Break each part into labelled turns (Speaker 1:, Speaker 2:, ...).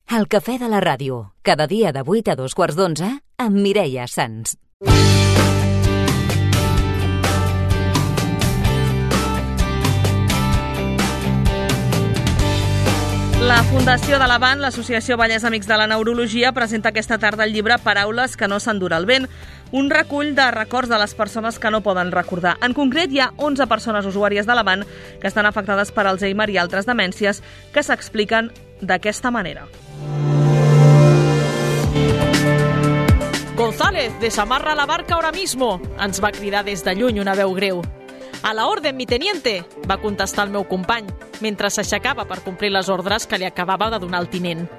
Speaker 1: El cafè de la ràdio, cada dia de 8 a 2:15 amb Mireia Sans.
Speaker 2: La Fundació de l'Avant, l'Associació Vallès Amics de la Neurologia, presenta aquesta tarda el llibre Paraules que no s'endura el vent, un recull de records de les persones que no poden recordar. En concret, hi ha 11 persones usuàries de l'Avant que estan afectades per Alzheimer i altres demències que s'expliquen d'aquesta manera.
Speaker 3: González, desamarra la barca ahora mismo, ens va cridar des de lluny una veu greu. A la orden, mi teniente, va contestar el meu company, mentre s'aixecava per complir les ordres que li acabava de donar el tinent.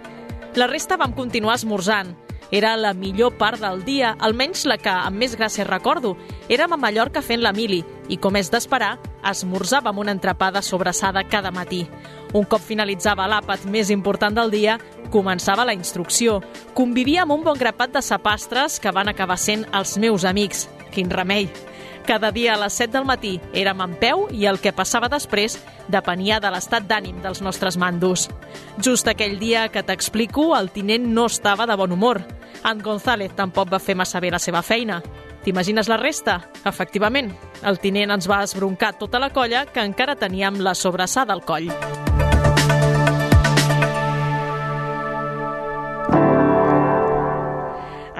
Speaker 3: La resta vam continuar esmorzant. Era la millor part del dia, almenys la que amb més gràcia recordo. Érem a Mallorca fent la mili i, com és d'esperar, esmorzàvem una entrepada sobrassada cada matí. Un cop finalitzava l'àpat més important del dia, començava la instrucció. Convivia amb un bon grapat de sapastres que van acabar sent els meus amics. Quin remei! Cada dia a les 7 del matí érem en peu i el que passava després depenia de l'estat d'ànim dels nostres mandos. Just aquell dia que t'explico, el tinent no estava de bon humor. En González tampoc va fer massa bé la seva feina. T'imagines la resta? Efectivament, el tinent ens va esbroncar tota la colla que encara teníem la sobrassada al coll.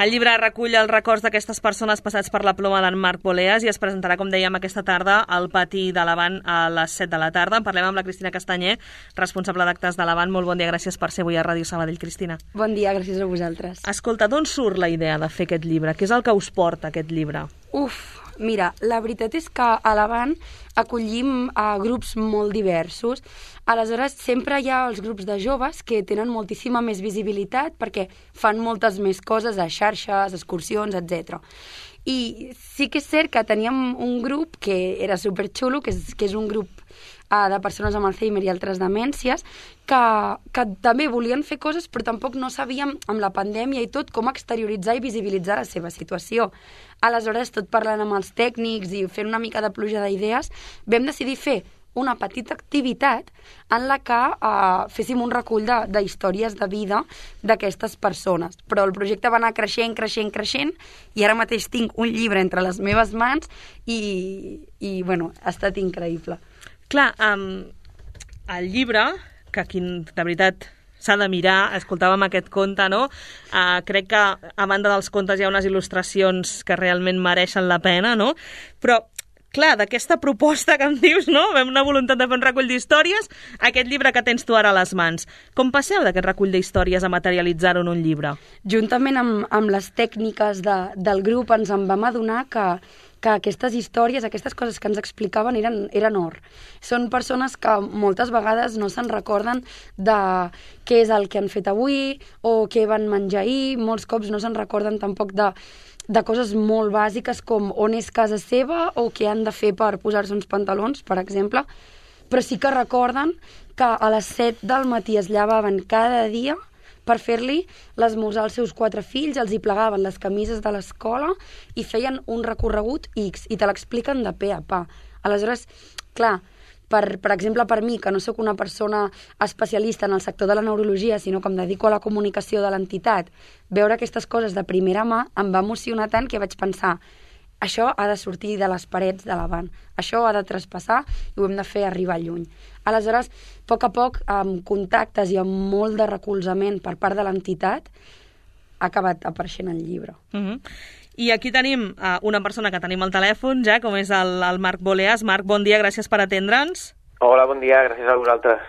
Speaker 2: El llibre recull els records d'aquestes persones passats per la ploma d'en Marc Boleas i es presentarà, com dèiem, aquesta tarda al pati de l'Avant a les 7 de la tarda. En parlem amb la Cristina Castanyer, responsable d'actes de l'Avant. Molt bon dia, gràcies per ser avui a Ràdio Sabadell, Cristina.
Speaker 4: Bon dia, gràcies a vosaltres.
Speaker 2: Escolta, d'on surt la idea de fer aquest llibre? Què és el que us porta aquest llibre?
Speaker 4: Mira, la veritat és que a l'Avant acollim a grups molt diversos. Aleshores, sempre hi ha els grups de joves que tenen moltíssima més visibilitat perquè fan moltes més coses a xarxes, excursions, etc. I sí que és cert que teníem un grup que era superxulo, que és un grup de persones amb Alzheimer i altres demències, que també volien fer coses, però tampoc no sabíem, amb la pandèmia i tot, com exterioritzar i visibilitzar la seva situació. Aleshores, tot parlant amb els tècnics i fent una mica de pluja d'idees, vam decidir fer una petita activitat en la que féssim un recull de històries de vida d'aquestes persones. Però el projecte va anar creixent i ara mateix tinc un llibre entre les meves mans i bueno, ha estat increïble.
Speaker 2: Clar, el llibre, que aquí, de veritat, s'ha de mirar, escoltàvem aquest conte, no? Crec que a banda dels contes hi ha unes il·lustracions que realment mereixen la pena, no? Però, clar, d'aquesta proposta que em dius, no? Vam una voluntat de fer un recull d'històries, aquest llibre que tens tu ara a les mans. Com passeu d'aquest recull d'històries a materialitzar-ho en un llibre?
Speaker 4: Juntament amb les tècniques del grup ens en vam adonar que aquestes històries, aquestes coses que ens explicaven eren or. Són persones que moltes vegades no se'n recorden de què és el que han fet avui o què van menjar ahir, molts cops no se'n recorden tampoc de coses molt bàsiques com on és casa seva o què han de fer per posar-se uns pantalons, per exemple, però sí que recorden que a les 7 del matí es llevaven cada dia per fer-li l'esmorzar als seus 4 fills, els hi plegaven les camises de l'escola i feien un recorregut X, i te l'expliquen de pe a pa. Aleshores, clar, per exemple, per mi, que no sóc una persona especialista en el sector de la neurologia, sinó que em dedico a la comunicació de l'entitat, veure aquestes coses de primera mà em va emocionar tant que vaig pensar això ha de sortir de les parets de l'Avant, això ha de traspassar i ho hem de fer arribar lluny. Aleshores, a poc, amb contactes i amb molt de recolzament per part de l'entitat, ha acabat apareixent el llibre.
Speaker 2: I aquí tenim una persona que tenim al telèfon ja, com és el Marc Boleas. Marc, bon dia, gràcies per atendre'ns.
Speaker 5: Hola, bon dia, gràcies a vosaltres.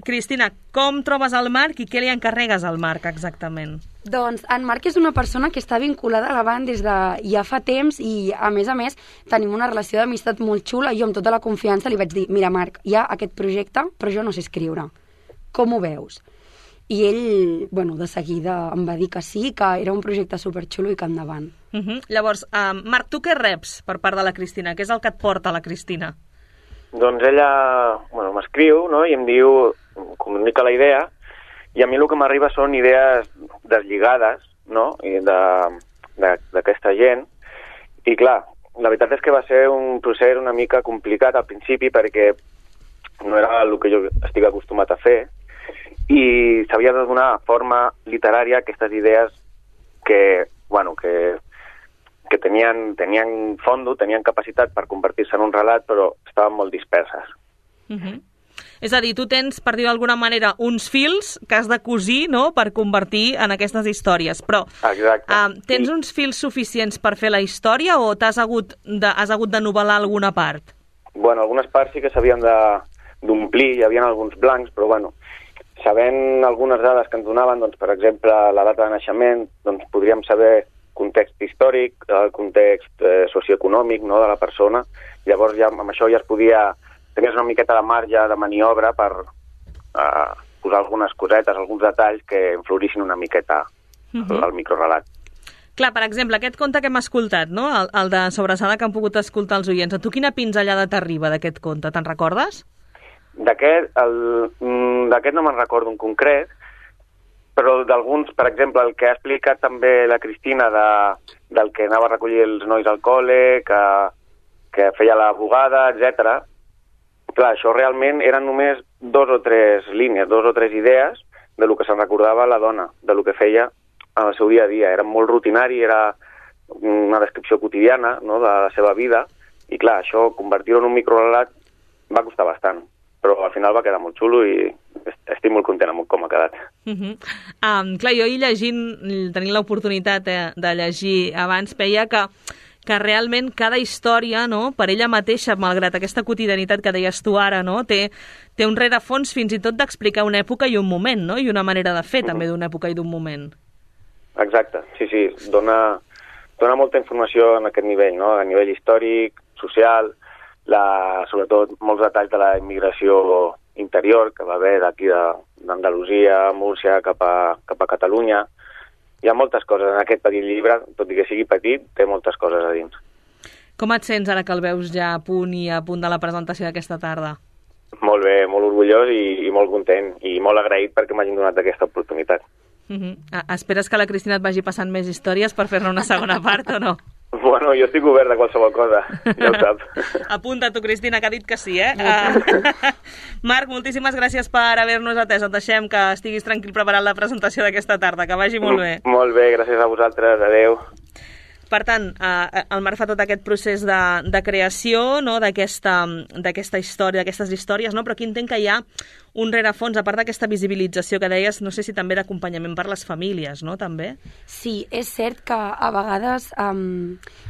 Speaker 2: Cristina, com trobes el Marc i què li encarregues al Marc exactament?
Speaker 4: Doncs en Marc és una persona que està vinculada a l'Avant des de ja fa temps i, a més, tenim una relació d'amistat molt xula. Jo amb tota la confiança li vaig dir, mira Marc, hi ha aquest projecte, però jo no sé escriure. Com ho veus? I ell, de seguida em va dir que sí, que era un projecte superxulo i que endavant.
Speaker 2: Llavors, Marc, tu què reps per part de la Cristina? Què és el que et porta la Cristina?
Speaker 5: Doncs ella m'escriu, no?, i em diu, comunica la idea, i a mi el que m'arriba són idees deslligades, no?, d'aquesta gent. I clar, la veritat és que va ser un procés una mica complicat al principi perquè no era el que jo estic acostumat a fer, i s'havia de donar forma literària a aquestes idees que tenien fondo, tenien capacitat per convertir-se en un relat, però estaven molt disperses.
Speaker 2: És a dir, tu tens, per dir d'alguna manera, uns fils que has de cosir, no?, per convertir en aquestes històries, però tens uns fils suficients per fer la història o has hagut de novel·lar alguna part?
Speaker 5: Bueno, algunes parts sí que s'havien d'omplir, hi havia alguns blancs, però bueno, sabent algunes dades que ens donaven, doncs, per exemple, la data de naixement, doncs podríem saber context històric, el context socioeconòmic, no?, de la persona. Llavors ja amb això ja es podia... Tenies una miqueta de marge de maniobra per posar algunes cosetes, alguns detalls que influïssin una miqueta al microrelat.
Speaker 2: Clar, per exemple, aquest conte que hem escoltat, no?, el de Sobrassada que han pogut escoltar els oients, a tu quina pinzellada t'arriba d'aquest conte? Te'n recordes?
Speaker 5: D'aquest no me'n recordo en concret, però d'alguns, per exemple, el que ha explicat també la Cristina del que anava a recollir els nois al col·le, que feia la bugada, etc. Clar, això realment eren només 2 o 3 línies, 2 o 3 idees de lo que se'n recordava la dona, de lo que feia en el seu dia a dia. Era molt rutinari, era una descripció quotidiana, no?, de la seva vida, i clar, això, convertir-ho en un microrelat va costar bastant, però al final va quedar molt xulo i estic molt content amb com ha quedat.
Speaker 2: Clar, jo tenint l'oportunitat de llegir abans, veia que realment cada història, no?, per ella mateixa, malgrat aquesta quotidianitat que deies tu ara, no?, té un rerefons fins i tot d'explicar una època i un moment, no?, i una manera de fer també d'una època i d'un moment.
Speaker 5: Exacte, sí, dona molta informació en aquest nivell, no?, a nivell històric, social, sobretot molts detalls de la immigració interior que va haver d'aquí d'Andalusia, Múrcia, cap a Catalunya. Hi ha moltes coses en aquest petit llibre, tot i que sigui petit, té moltes coses a dins.
Speaker 2: Com et sents ara que el veus ja a punt de la presentació d'aquesta tarda?
Speaker 5: Molt bé, molt orgullós i molt content, i molt agraït perquè m'hagin donat aquesta oportunitat.
Speaker 2: Esperes que la Cristina et vagi passant més històries per fer-ne una segona part o no?
Speaker 5: Bueno, jo estic obert a qualsevol cosa, ja ho sap.
Speaker 2: Apunta tu, Cristina, que ha dit que sí, eh? Marc, moltíssimes gràcies per haver-nos atès. Et deixem que estiguis tranquil preparant la presentació d'aquesta tarda. Que vagi molt bé.
Speaker 5: Molt bé, gràcies a vosaltres. Adéu.
Speaker 2: Per tant, el Marc fa tot aquest procés de creació, no?, d'aquesta història, d'aquestes històries, no? Però aquí entenc que hi ha un rerefons, a part d'aquesta visibilització que deies, no sé si també d'acompanyament per les famílies, no?, també?
Speaker 4: Sí, és cert que a vegades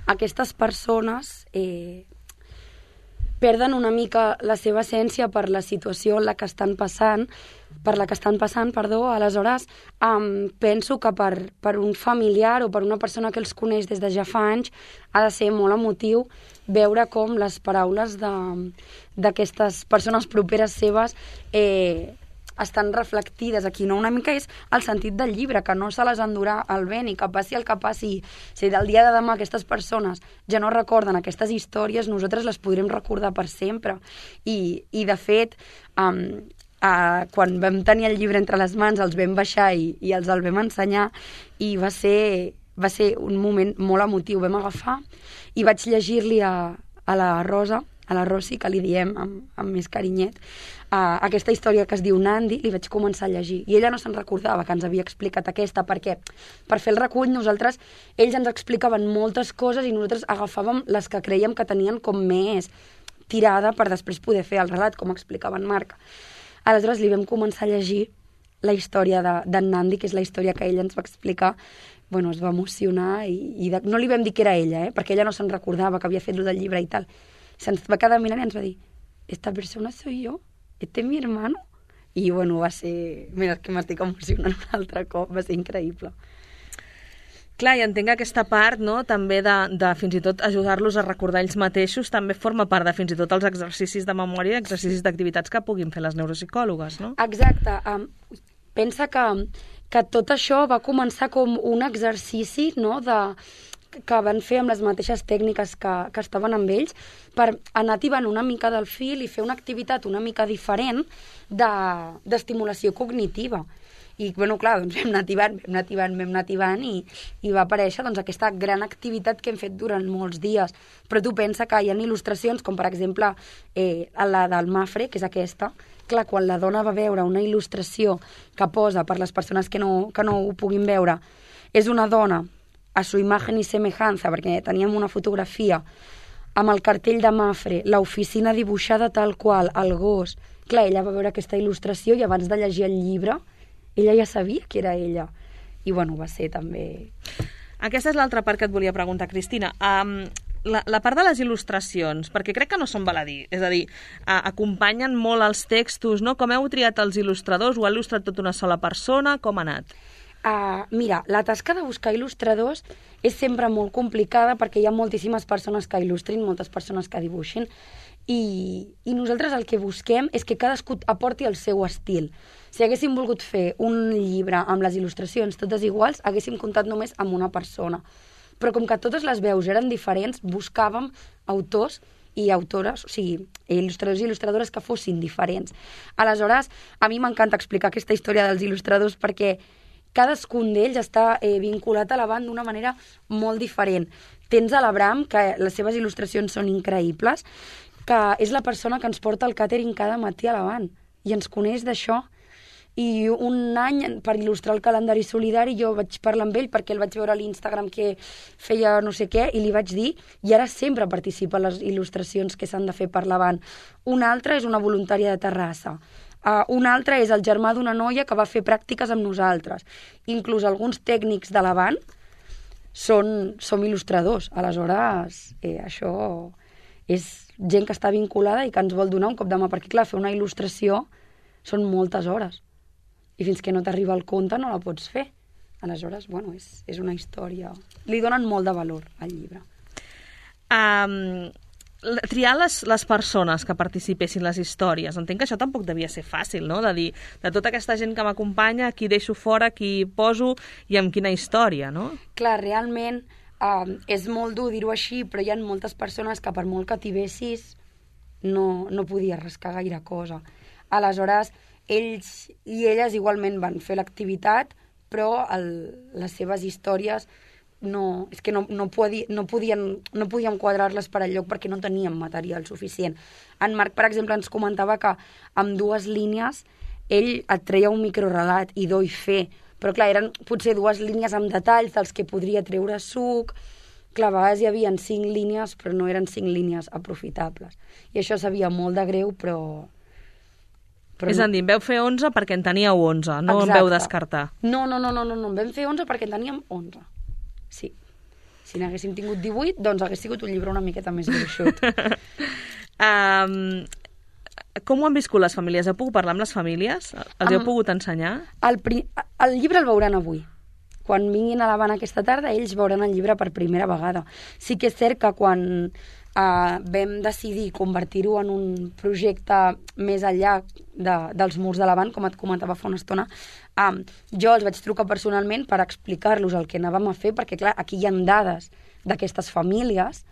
Speaker 4: aquestes persones perden una mica la seva essència per la situació en la que estan passant, aleshores penso que per un familiar o per una persona que els coneix des de ja fa anys ha de ser molt emotiu veure com les paraules d'aquestes persones properes seves estan reflectides aquí, no? Una mica és el sentit del llibre, que no se les endurà el vent i que passi el que passi. Si del dia de demà aquestes persones ja no recorden aquestes històries, nosaltres les podrem recordar per sempre. I de fet, quan vam tenir el llibre entre les mans, els vam baixar i els el vam ensenyar, i va ser un moment molt emotiu. Vam agafar i vaig llegir-li a la Rosa, a la Rosi, que li diem amb més carinyet, aquesta història que es diu Nandi, li vaig començar a llegir. I ella no se'n recordava que ens havia explicat aquesta, perquè per fer el recull ells ens explicaven moltes coses i nosaltres agafàvem les que creiem que tenien com més tirada per després poder fer el relat, com explicava en Marc. Aleshores li vam començar a llegir la història d'en Nandi, que és la història que ella ens va explicar. Bueno, es va emocionar i no li vam dir que era ella, perquè ella no se'n recordava que havia fet lo del llibre i tal. Se'ns va quedar mirant i ens va dir: «Esta persona soy yo, este es mi hermano». I bueno, va ser... Mira, que m'estic emocionant un altre cop, va ser increïble.
Speaker 2: Clar, i entenc que aquesta part, no?, també de fins i tot ajudar-los a recordar ells mateixos també forma part de fins i tot els exercicis de memòria, exercicis d'activitats que puguin fer les neuropsicòlogues, no?
Speaker 4: Exacte. Pensa que tot això va començar com un exercici, no?, que van fer amb les mateixes tècniques que estaven amb ells, per anar tibant una mica del fil i fer una activitat una mica diferent d'estimulació cognitiva. I, bueno, clar, doncs vam anar tibant i va aparèixer aquesta gran activitat que hem fet durant molts dies. Però tu pensa que hi ha il·lustracions, com per exemple la del Mafre, que és aquesta, clar, quan la dona va veure una il·lustració que posa, per les persones que no ho puguin veure, és una dona a su imagen y semejanza, perquè teníem una fotografia amb el cartell de Mafre, l'oficina dibuixada tal qual, el gos. Clar, ella va veure aquesta il·lustració i abans de llegir el llibre, ella ja sabia que era ella. I, bueno, va ser també...
Speaker 2: Aquesta és l'altra part que et volia preguntar, Cristina. La part de les il·lustracions, perquè crec que no són baladí, és a dir, acompanyen molt els textos, no? Com heu triat els il·lustradors? Ho ha il·lustrat tota una sola persona? Com ha anat?
Speaker 4: Mira, la tasca de buscar il·lustradors és sempre molt complicada perquè hi ha moltíssimes persones que il·lustrin, moltes persones que dibuixin, i nosaltres el que busquem és que cadascú aporti el seu estil. Si haguéssim volgut fer un llibre amb les il·lustracions totes iguals, haguéssim comptat només amb una persona. Però com que totes les veus eren diferents, buscàvem autors i autores, o sigui, il·lustradors i il·lustradores que fossin diferents. Aleshores, a mi m'encanta explicar aquesta història dels il·lustradors perquè cadascun d'ells està vinculat a la banda d'una manera molt diferent. Tens a l'Abram, que les seves il·lustracions són increïbles, que és la persona que ens porta el càtering cada matí a l'Avant i ens coneix d'això. I un any, per il·lustrar el calendari solidari, jo vaig parlar amb ell perquè el vaig veure a l'Instagram que feia no sé què i li vaig dir, i ara sempre participa en les il·lustracions que s'han de fer per l'Avant. Una altra és una voluntària de Terrassa. Un altre és el germà d'una noia que va fer pràctiques amb nosaltres. Inclús alguns tècnics de l'Avant som il·lustradors. Aleshores, això és gent que està vinculada i que ens vol donar un cop de mà, perquè clar, fer una il·lustració són moltes hores. I fins que no t'arriba el conte no la pots fer. Aleshores, bueno, és una història... Li donen molt de valor al llibre.
Speaker 2: Triar les persones que participessin les històries. Entenc que això tampoc devia ser fàcil, no? De dir, de tota aquesta gent que m'acompanya, qui deixo fora, qui poso i amb quina història, no?
Speaker 4: Clar, realment és molt dur dir-ho així, però hi ha moltes persones que per molt que t'hi vessis no podies rascar gaire cosa. Aleshores, ells i elles igualment van fer l'activitat, però les seves històries és que no podíem quadrar-les per al lloc perquè no teníem material suficient. En Marc, per exemple, ens comentava que amb 2 línies ell et treia un microrelat i do i fe, però clar, eren potser 2 línies amb detalls dels que podria treure suc. Clar, a vegades hi havia 5 línies, però no eren 5 línies aprofitables. I això sabia molt de greu, però
Speaker 2: és a dir, en veu fer 11 perquè en teníeu 11, no en veu descartar.
Speaker 4: No, en vam fer 11 perquè en teníem 11. Sí. Si n'haguéssim tingut 18, doncs hagués sigut un llibre una miqueta més gruixut.
Speaker 2: Com ho han viscut les famílies? Heu pogut parlar amb les famílies? Els heu pogut ensenyar?
Speaker 4: El llibre el veuran avui. Quan vinguin a l'Havana aquesta tarda, ells veuran el llibre per primera vegada. Sí que és cert que quan vam decidir convertir-ho en un projecte més enllà dels murs de l'Havana, com et comentava fa una estona, jo els vaig trucar personalment per explicar-los el que anàvem a fer, perquè clar, aquí hi ha dades d'aquestes famílies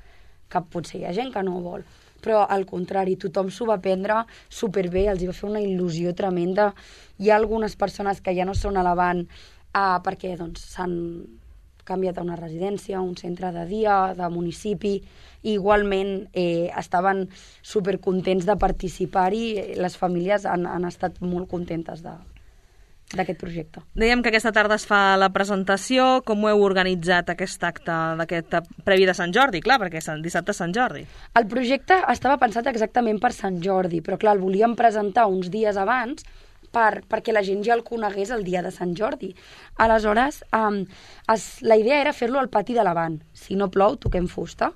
Speaker 4: que potser hi ha gent que no vol, però al contrari, tothom s'ho va prendre superbé, els hi va fer una il·lusió tremenda. Hi ha algunes persones que ja no són a l'Havana perquè doncs, s'han canviat a una residència, a un centre de dia, de municipi, i igualment estaven supercontents de participar-hi. Les famílies han estat molt contentes d'aquest projecte.
Speaker 2: Dèiem que aquesta tarda es fa la presentació. Com ho heu organitzat, aquest acte d'aquest previ de Sant Jordi? Clar, perquè és el dissabte Sant Jordi.
Speaker 4: El projecte estava pensat exactament per Sant Jordi, però clar, el volíem presentar uns dies abans perquè la gent ja el conegués el dia de Sant Jordi. Aleshores, la idea era fer-lo al pati de l'Havana. Si no plou, toquem fusta.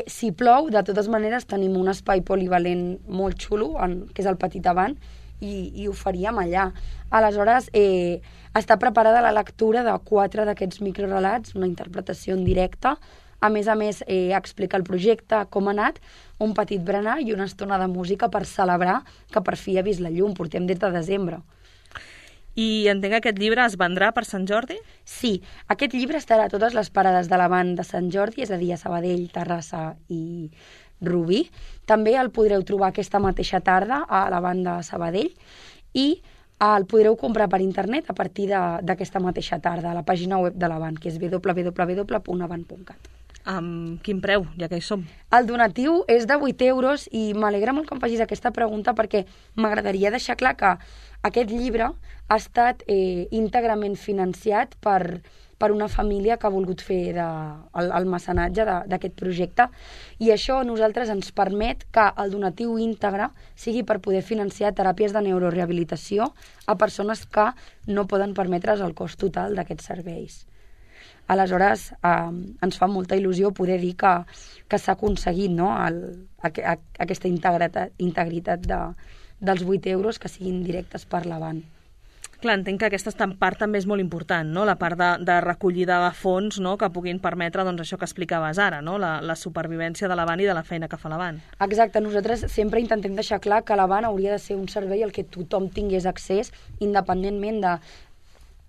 Speaker 4: Si plou, de totes maneres, tenim un espai polivalent molt xulo, que és el Petit Havana, i ho faríem allà. Aleshores, està preparada la lectura de 4 d'aquests microrelats, una interpretació en directe. A més, explica el projecte, com ha anat, un petit berenar i una estona de música per celebrar que per fi ha vist la llum. Portem des de desembre.
Speaker 2: I entenc que aquest llibre es vendrà per Sant Jordi?
Speaker 4: Sí, aquest llibre estarà a totes les parades de l'Havana de Sant Jordi, és a dir, a Sabadell, Terrassa i Rubí. També el podreu trobar aquesta mateixa tarda a l'Havana de Sabadell i el podreu comprar per internet a partir d'aquesta mateixa tarda a la pàgina web de l'Havana, que és www.havan.cat.
Speaker 2: Amb quin preu, ja que hi som?
Speaker 4: El donatiu és de 8 euros i m'alegra molt que em facis aquesta pregunta perquè m'agradaria deixar clar que aquest llibre ha estat íntegrament financiat per una família que ha volgut fer el mecenatge d'aquest projecte i això a nosaltres ens permet que el donatiu íntegre sigui per poder financiar teràpies de neurorehabilitació a persones que no poden permetre's el cost total d'aquests serveis. Aleshores, ens fa molta il·lusió poder dir que s'ha aconseguit, no? Aquesta integritat dels 8 euros que siguin directes per l'Avant.
Speaker 2: Clar, entenc que aquesta part també és molt important, no? La part de recollida de fons, no? Que puguin permetre doncs, això que explicaves ara, no? La supervivència de l'Avant i de la feina que fa l'Avant.
Speaker 4: Exacte, nosaltres sempre intentem deixar clar que l'Avant hauria de ser un servei al que tothom tingués accés, independentment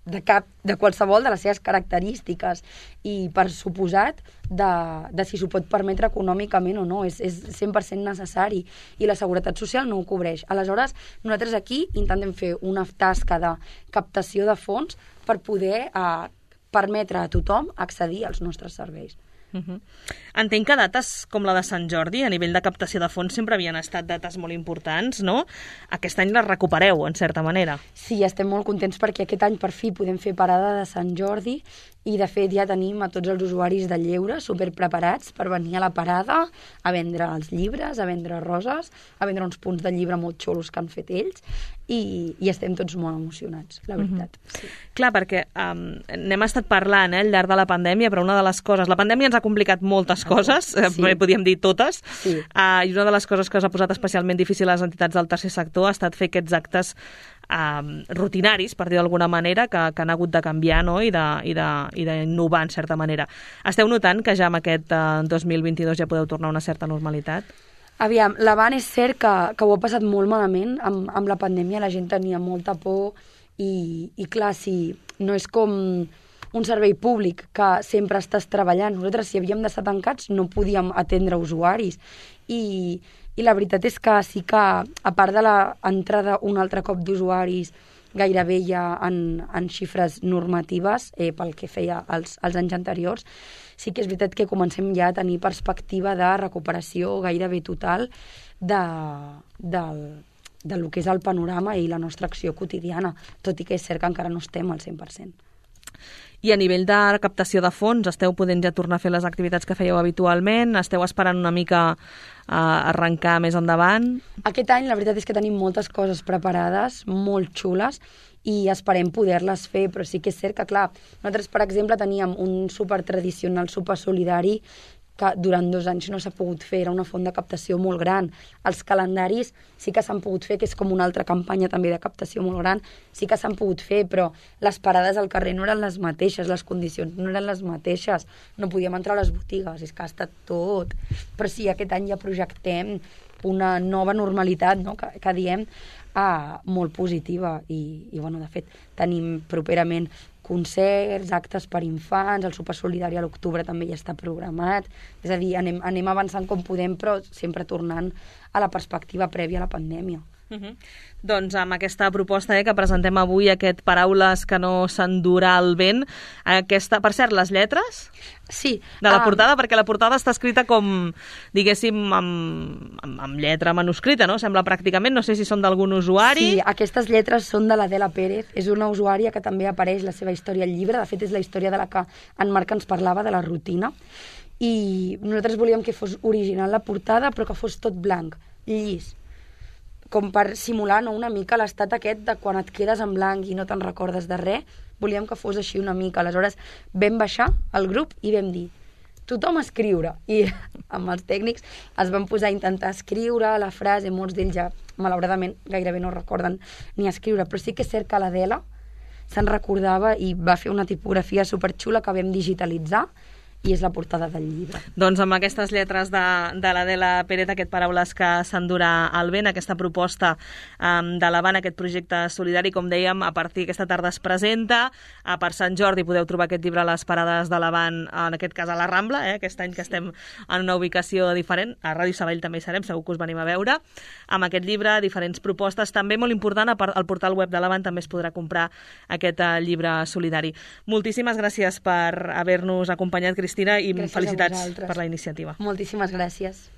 Speaker 4: de qualsevol de les seves característiques i, per suposat, de si s'ho pot permetre econòmicament o no. És 100% necessari i la Seguretat Social no ho cobreix. Aleshores, nosaltres aquí intentem fer una tasca de captació de fons per poder permetre a tothom accedir als nostres serveis.
Speaker 2: Entenc que dates com la de Sant Jordi, a nivell de captació de fons, sempre havien estat dates molt importants, no? Aquest any les recupereu, en certa manera.
Speaker 4: Sí, estem molt contents perquè aquest any per fi podem fer parada de Sant Jordi i, de fet, ja tenim a tots els usuaris de lleure superpreparats per venir a la parada a vendre els llibres, a vendre roses, a vendre uns punts de llibre molt xulos que han fet ells i estem tots molt emocionats, la veritat. Sí.
Speaker 2: Clar, perquè n'hem estat parlant al llarg de la pandèmia, però una de les coses... La pandèmia ens ha complicat moltes coses, podríem dir totes, i una de les coses que us ha posat especialment difícil a les entitats del tercer sector ha estat fer aquests actes rutinaris, per dir d'alguna manera, que han hagut de canviar, no? I d'innovar, en certa manera. Esteu notant que ja amb aquest 2022 ja podeu tornar a una certa normalitat?
Speaker 4: Aviam, l'Avant és cert que ho ha passat molt malament amb la pandèmia, la gent tenia molta por i clar, si no és com un servei públic que sempre estàs treballant. Nosaltres, si havíem d'estar tancats, no podíem atendre usuaris i la veritat és que sí que, a part de l'entrada un altre cop d'usuaris gairebé ja en xifres normatives pel que feia als anys anteriors, sí que és veritat que comencem ja a tenir perspectiva de recuperació gairebé total del que és el panorama i la nostra acció quotidiana, tot i que és cert que encara no estem al 100%.
Speaker 2: I a nivell de captació de fons, esteu podent ja tornar a fer les activitats que fèieu habitualment? Esteu esperant una mica a arrencar més endavant?
Speaker 4: Aquest any la veritat és que tenim moltes coses preparades, molt xules, i esperem poder-les fer, però sí que és cert que, clar, nosaltres, per exemple, teníem un súper tradicional súper solidari que durant 2 anys no s'ha pogut fer, era una font de captació molt gran. Els calendaris sí que s'han pogut fer, que és com una altra campanya també de captació molt gran, sí que s'han pogut fer, però les parades al carrer no eren les mateixes, les condicions no eren les mateixes, no podíem entrar a les botigues, és que ha estat tot. Però sí, aquest any ja projectem una nova normalitat, no?, que diem molt positiva i bueno, de fet, tenim properament concerts, actes per infants, el sopar solidari a l'octubre també ja està programat, és a dir, anem avançant com podem, però sempre tornant a la perspectiva prèvia a la pandèmia.
Speaker 2: Doncs amb aquesta proposta que presentem avui, aquest Paraules que no s'endurà el vent, per cert, les lletres?
Speaker 4: Sí.
Speaker 2: De la portada, perquè la portada està escrita com, diguéssim, amb lletra manuscrita, no? Sembla pràcticament, no sé si són d'algun usuari.
Speaker 4: Sí, aquestes lletres són de l'Adela Pérez, és una usuària que també apareix la seva història al llibre, de fet és la història de la que en Marc ens parlava, de la rutina, i nosaltres volíem que fos original la portada, però que fos tot blanc, llis, com per simular, no, una mica l'estat aquest de quan et quedes en blanc i no te'n recordes de res, volíem que fos així una mica. Aleshores vam baixar al grup i vam dir tothom a escriure, i amb els tècnics es van posar a intentar escriure la frase, molts d'ells ja malauradament gairebé no recorden ni escriure, però sí que és cert que l'Adela se'n recordava i va fer una tipografia superxula que vam digitalitzar i és la portada del llibre.
Speaker 2: Doncs amb aquestes lletres de l'Adela Pérez, aquest Paraules que s'endurà el vent, aquesta proposta de l'Avant, aquest projecte solidari, com dèiem, a partir d'aquesta tarda es presenta, per Sant Jordi podeu trobar aquest llibre a les parades de l'Avant, en aquest cas a la Rambla, aquest any que estem en una ubicació diferent, a Ràdio Sabadell també hi serem, segur que us venim a veure, amb aquest llibre, diferents propostes, també molt important, al portal web de l'Avant també es podrà comprar aquest llibre solidari. Moltíssimes gràcies per haver-nos acompanyat, Cristina. Cristina, i
Speaker 4: Gràcies a
Speaker 2: felicitats
Speaker 4: vosaltres.
Speaker 2: per la iniciativa.
Speaker 4: Moltíssimes gràcies.